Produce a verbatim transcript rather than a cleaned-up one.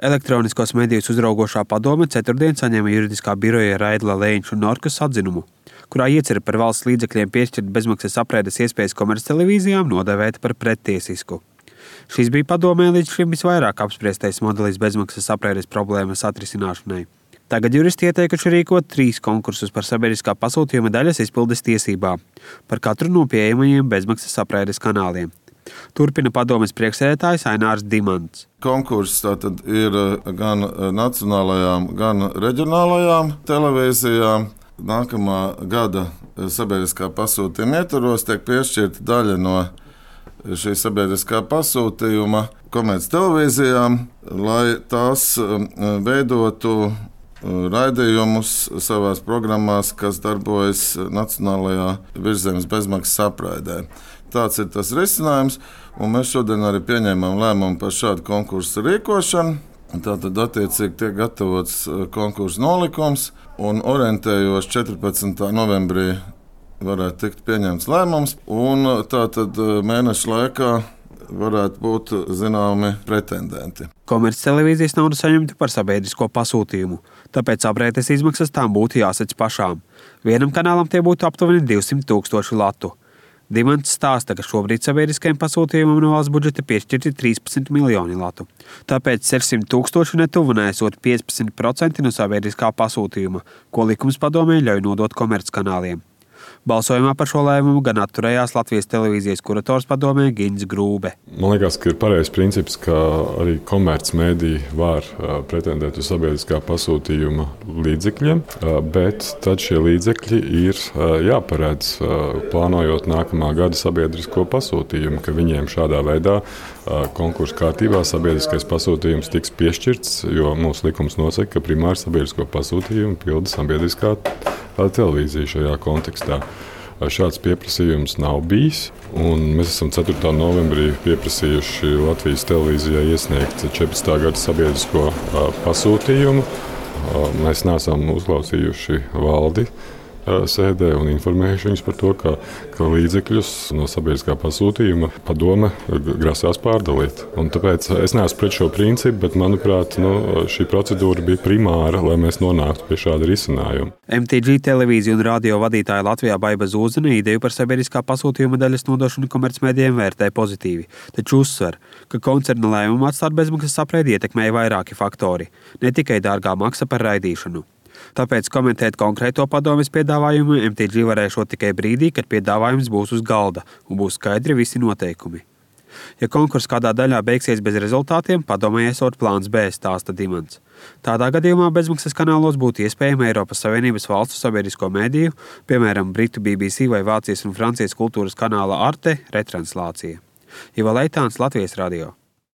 Elektroniskos medijus uzraugošā padome ceturtdien saņēma juridiskā biroja Raidla Lēņš un Norkas atzinumu, kurā iecer par valsts līdzekļiem piešķirt bezmaksas apraides iespējas komerctelevīzijām nodēvēta par prettiesisku. Šis bija padomē līdz šim visvairāk apspriestais modelis bezmaksas apraides problēmas atrisināšanai. Tagad juristi ieteikuši rīkot trīs konkursus par sabiedriskā pasūtījuma daļas izpildes tiesībām par katru no pieejamajiem bezmaksas apraides kanāliem. Turpina padomes priekšsēdētājs Ainārs Dimants. Konkurss tātad ir gan nacionālajām, gan reģionālajām televīzijām. Nākamā gada sabiedriskā pasūtījuma ietvaros tiek piešķirta daļa no šī sabiedriskā pasūtījuma komerctelevīzijām, lai tās veidotu raidījumus savās programmās, kas darbojas nacionālajā virszemes bezmaksas apraidē. Tāds ir tas risinājums, un mēs šodien arī pieņēmām lēmumu par šādu konkursu rīkošanu. Tātad attiecīgi tiek gatavots konkursu nolikums, un orientējos četrpadsmitā novembrī varētu tikt pieņemts lēmums, un tātad mēneša laikā varētu būt zināmi pretendenti. Komerctelevīzijas naudu saņemtu par sabiedrisko pasūtījumu, tāpēc apraides izmaksas tām būtu jāsec pašām. Vienam kanālam tie būtu aptuveni divsimt tūkstoši latu. Dimants stāsta, ka šobrīd sabiedriskajiem pasūtījumam no valsts budžeta piešķirti trīspadsmit miljoni latu. Tāpēc sešsimt tūkstoši netuvu nesot piecpadsmit procenti no sabiedriskā pasūtījuma, ko likums padomē ļauj nodot komerckanāliem. Balsojumā par šo lēmumu gan atturējās Latvijas televīzijas kurators padomē Gins Grūbe. Man liekas, ka ir pareizs princips, ka arī komercmediji var pretendēt uz sabiedriskā pasūtījuma līdzekļiem, bet tad šie līdzekļi ir jāparedz plānojot nākamā gada sabiedrisko pasūtījumu, ka viņiem šādā veidā konkursu kārtībā sabiedriskais pasūtījums tiks piešķirts, jo mūsu likums nosaka, ka primāri sabiedrisko pasūtījumu pilda sabiedriskā televīzija šajā kontekstā. Šāds pieprasījums nav bijis, un mēs esam ceturtā novembrī pieprasījuši Latvijas televīzijai iesniegt četrpadsmitā gada sabiedrisko pasūtījumu. Mēs neesam uzklausījuši valdi sēdē un informējuši viņus par to, ka, ka līdzekļus no sabiedriskā pasūtījuma padome grasās pārdalīt. Un tāpēc es neesmu pret šo principu, bet, manuprāt, nu, šī procedūra bija primāra, lai mēs nonāktu pie šāda risinājuma. M T G televīziju un radio vadītāja Latvijā Baiba Zūdzene ideju par sabiedriskā pasūtījuma daļas nodošanu komercmedijiem vērtē pozitīvi, taču uzsver, ka koncerna lēmumu atstāt bezmaksas apraidi ietekmēja vairāki faktori, ne tikai dārgā maksa par raidīšanu. Tāpēc komentēt konkrēto padomes piedāvājumu M T G varēšot tikai brīdī, kad piedāvājums būs uz galda un būs skaidri visi noteikumi. Ja konkurss kādā daļā beigsies bez rezultātiem, padomē esot plāns B, stāsta Dimants. Tādā gadījumā bezmaksas kanālos būtu iespējama Eiropas Savienības valstu sabiedrisko mediju, piemēram, Britu B B C vai Vācijas un Francijas kultūras kanāla Arte retranslācija. Iva Leitāns, Latvijas radio.